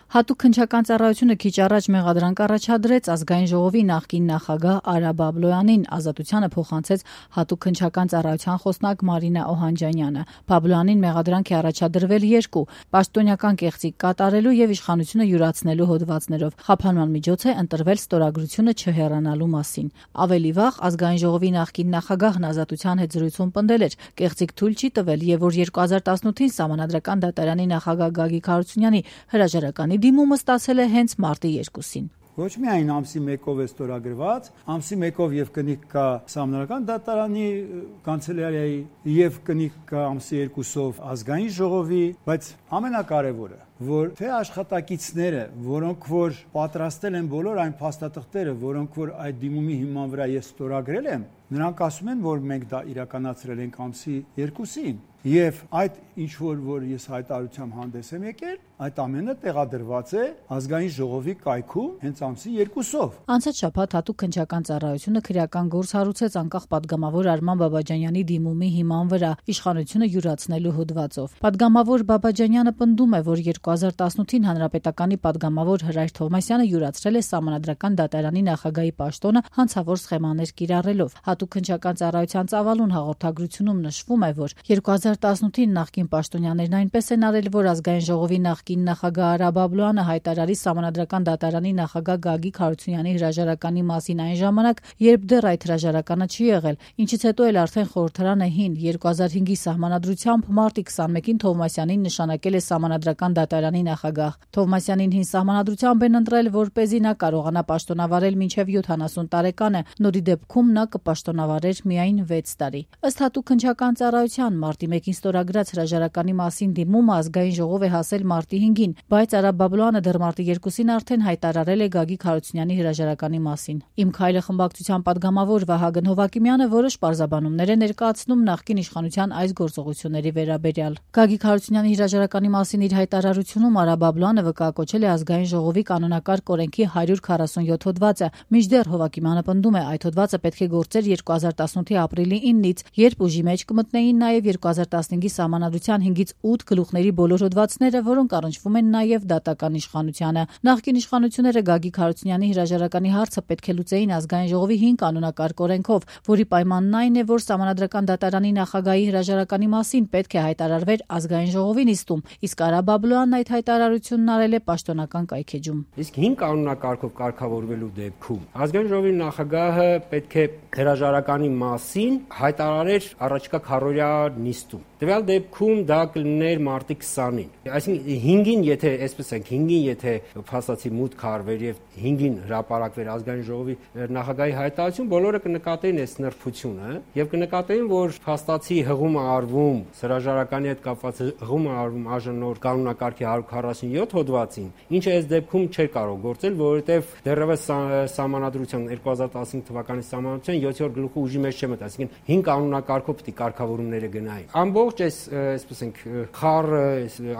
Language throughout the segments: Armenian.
Հատուկ քննչական ծառայությունը քիչ առաջ մեղադրանք առաջադրեց ազգային ժողովի նախկին նախագահ Արա Բաբլոյանին, ազատությանը փոխանցեց հատուկ քննչական ծառայության խոսնակ Մարինա Օհանջանյանը։ Բաբլոյանին մեղադրանք է առաջադրվել 2 պաշտոնյական կեղծիք կատարելու եւ իշխանությունը յուրացնելու հոդվածներով։ Խափանման միջոց է ընտրվել ստորագրությունը չհեռանալու մասին։ Ավելի վաղ ազգային ժողովի նախկին նախագահն ազատության հետ զրույցում պնդել էր, կեղծիք թույլ չի տվել եւ որ 2018-ին Սահմանադրական դատարանի նախագահ Գագիկ Հարությունյանի հրաժարականի դիմումը ստացել է հենց մարտի 2-ին։ Ոչ միայն ամսի 1-ով է ստորագրված, ամսի 1-ով եւ կնիկ կա Սահմանադրական դատարանի կանցելարիայի եւ կնիկ կա ամսի 2-ով ազգային ժողովի, բայց ամենակարևորը, որ թե աշխատակիցները, որոնք որ պատրաստել են բոլոր այն փաստաթղթերը, որոնք որ այդ դիմումի հիման վրա ես ստորագրել եմ, նրանք ասում են, որ մենք դա իրականացրել ենք ամսի 2-ին եւ այդ ինչ որ ես հայտարարությամբ հանդես եմ եկել, այդ ամենը տեղադրված է ազգային ժողովի կայքում հենց ամսի 2-ով։ Անցած շաբաթ հատուկ քննչական ծառայությունը քրեական գործ հարուցեց անկախ падգամավոր Արման Բաբաջանյանի դիմումի հիման վրա իշխանությունը յուրացնելու հոդվածով։ Падգամավոր Բաբաջանյանը պնդում է, որ 2018-ին հանրապետականի падգամավոր Հրայր Թովմասյանը յուրացրել է Սահմանադրական դատարանի նախագահի պաշտոնը հանցավոր սխեմաներ կիրառելով։ Հատուկ քննչական ծառայության ծավալուն հաղորդագրությունում նշվում է, որ 2018-ին նախկին պաշտոնյաներն այնպես են արել, որ ազգային ժողովի նախկին նախագահ Արա Բաբլոյանը հայտարարի Սահմանադրական դատարանի նախագահ Գագիկ Հարությունյանի հրաժարականի մասին այն ժամանակ, երբ դեռ այդ հրաժարականը չի եղել, ինչից հետո էլ արդեն խորհրդարանը հին 2005-ի սահմանադրությամբ մարտի 21-ին Թովմասյանին նշանակել է Սահմանադրական դատարանի նախագահ։ Թովմասյանին հին սահմանադրությամբ են ընտրել, որպեսզի նա կարողանա պաշտոնավարել մինչև 70 տարեկանը, նորի դեպքում նա կպաշտոնավարեր միայն 6 տարի։ Ըստ հատուկ քննչական ծառայության մարտի 1-ին ստորագրած հրաժարականի մասին դիմումը ազգային ժողով է հասել մարտի 5-ին, բայց Արա Բաբլոյանը դեռ մարտի 2-ին արդեն հայտարարել է Գագիկ Հարությունյանի հրաժարականի մասին։ Իմ քայլը խմբակցության падգամավոր Վահագն Հովակիմյանը որոշ պարզաբանումներ է ներկայացնում նախկին իշխանության այս գործողությունների վերաբերյալ։ Գագիկ Հարությունյանի հրաժարականի մասին իր հայտարարությունում Արա Բաբլոյանը վկայակոչել է ազգային ժողովի կանոնակարգ օրենքի 147 հոդվածը, մինչդեռ Հովակիմյանը պնդում է, այդ հոդվածը պետք է գործեր 2018-ի ապրիլի 9-ից, երբ ուժի մեջ կմտնեին նաև 2015-ի Սահմանադրության 5-ից 8 գլուխների բոլոր հոդվածները, որոնք առնչվում են նաև դատական իշխանությանը։ Նախկին իշխանությունները Գագիկ Հարությունյանի հրաժարականի հարցը պետք է լուծեին ազգային ժողովի 5 կանոնակարգ օրենքով, որի պայմանն այն է, որ Սահմանադրական դատարանի նախագահի հրաժարականի մասին պետք է հայտարարվեր ազգային ժողովի նիստում, իսկ Արա Բաբլոյանն այդ հայտարարությունն արել է պաշտոնական կայքեջում։ Իսկ 5 կանոնակարգով կարգավորվելու դեպքում ազգային ժողովի նախագահը պետք է հրաժարականի մասին հայտարարեր առաջիկա քառօրյա նիստում։ Տվյալ դեպքում դա կլիներ մարտի 20-ին։ Այսինքն 5-ին, եթե այսպես ենք, 5-ին եթե փաստացի մուտք արվեր եւ 5-ին հրապարակվեր ազգային ժողովի նախագահի հայտարարություն, բոլորը կնկատեին այս նրբությունը եւ կնկատեին, որ փաստացի հղում է արվում հրաժարականի հետ կապված հղում է արվում ԱԺՆ կանոնակարգի 147 հոդվածին, ինչը այս դեպքում չէր կարող գործել, որովհետեւ դեռևս Սահմանադրության 2015 թվականի Սահմանադրության 7-րդ գլուխը ուժի մեջ չէ մտա, այսինքն 5 կանոնակարգով պետք է կարգավորումները գնային։ Ամբողջ այս այսպես ենք խառը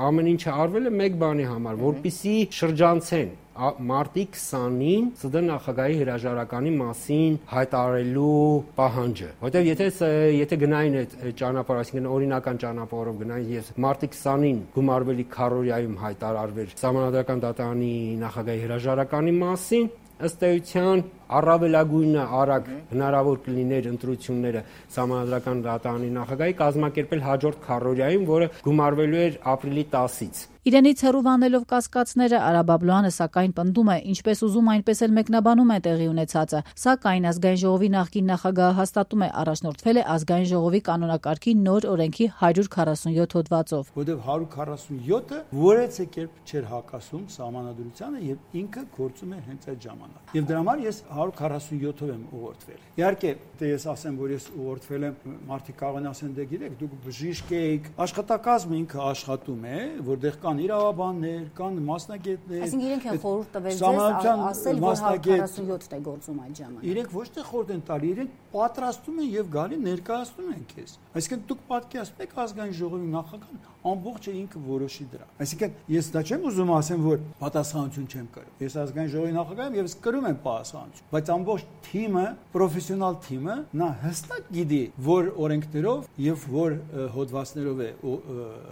ամեն ինչը արվել է մեկ բանի համար, որպեսզի շրջանցեն մարտի 20-ին ՍԴ նախագահի հրաժարականի մասին հայտարարելու պահանջը, որովհետև եթե գնային այդ ճանապարհ, այսինքն օրինական ճանապարհով գնային եւ մարտի 20-ին գումարվելի քառօրյայում հայտարարվեր Սահմանադրական դատարանի նախագահի հրաժարականի մասին, ըստ էության առավելագույնը արագ հնարավոր կլիներ ընտրությունները Սահմանադրական դատարանի նախագահի կազմակերպել հաջորդ քառօրյայում, որը գումարվելու էր ապրիլի 10-ից։ Իրենից հեռու անելով կասկածները Արա Բաբլոյանը սակայն պնդում է, ինչպես ուզում այնպես էլ մեկնաբանում է տեղի ունեցածը, սակայն ազգային ժողովի նախկին նախագահը հաստատում է առաջնորդվել է ազգային ժողովի կանոնակարգի նոր օրենքի 147 հոդվածով։ Որտեղ 147-ը որևէ կերպ չէր հակասում Սահմանադրությանը եւ ինքը գործում էր հենց այդ ժամանակ։ Եվ դրա համար ես 147-ով եմ ուղղորդվել։ Իհարկե, դե ես ասեմ, որ ես ուղղորդվել եմ, մարդիկ կարող են ասեն, դե գիտեք, դուք բժիշկ եք, աշխատակազմը ինքը աշխատում է, որտեղ կան իրավաբաններ, կան մասնագետներ։ Այսինքն իրենք են խորհուրդ տվել ձեզ ասել, որ 147-ն է գործում այդ ժամանակ։ Իրենք ոչ թե խորհուրդ են տալի, իրենք պատրաստում են եւ գալի ներկայացնում են քեզ։ Այսինքն դուք պատկերացնում եք ազգային ժողովի նախագահան ամբողջը ինքը որոշի դրա։ Այսինքն ես դա չեմ ուզում ասեմ, որ պատասխանատվություն չեմ կրում։ Ես ազգային ժողովի նախագահ եմ եւ ես կրում եմ պատասխանատվություն, բայց ամբողջ թիմը, պրոֆեսիոնալ թիմը նա հստակ գիտի, որ օրենքներով եւ որ հոդվածներով է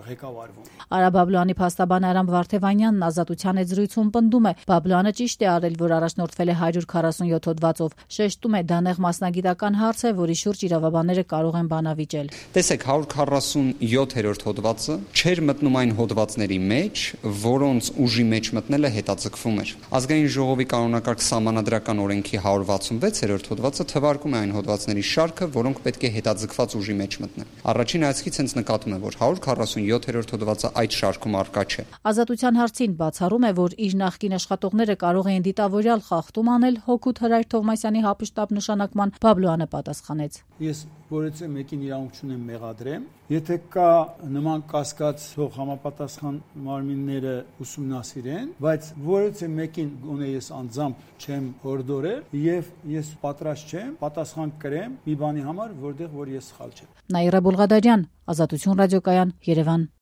ղեկավարվում։ Արա Բաբլոյանի փաստաբան Արամ Վարդևանյանն Ազատության հետ զրույցում պնդում է, Բաբլոյանը ճիշտ է արել, որ առաջնորդվել է 147 հոդվածով, շեշտում է դա նեղ մասնագիտական հարց է, որի շուրջ իրավաբանները կարող են բանավիճել։ Տեսեք, 147-րդ հոդվածը չէր մտնում այն հոդվածների մեջ, որոնց ուժի մեջ մտնելը հետաձգվում էր։ Ազգային ժողովի կանոնակարգ սահմանադրական օրենքի 166-րդ հոդվածը թվարկում է այն հոդվածների շարքը, որոնք պետք է հետաձգված ուժի մեջ մտնեն։ Առաջին հայացքից հենց նկատում է, որ 147-րդ հոդվածը այդ շարքում առկա չէ։ Ազատության հարցին բացառում է, որ իր նախկին աշխատողները կարող էին դիտավորյալ խախտում անել հօգուտ Հրայր Թովմասյանի հապշտապ նշանակման, Բաբլոյանը պատասխանեց. Ես որևէ մեկին իրավունք չունեմ մեղադրեմ, եթե կա նման կասկած, թող համապատասխան մարմինները ուսումնասիրեն, բայց որևէ մեկին գոնե ես անձամբ չեմ հորդորել եւ ես պատրաստ չեմ պատասխան կրեմ մի բանի համար, որտեղ որ ես սխալ չեմ։ Նաիրա Բոլղադարյան, Ազատություն ռադիոկայան, Երևան։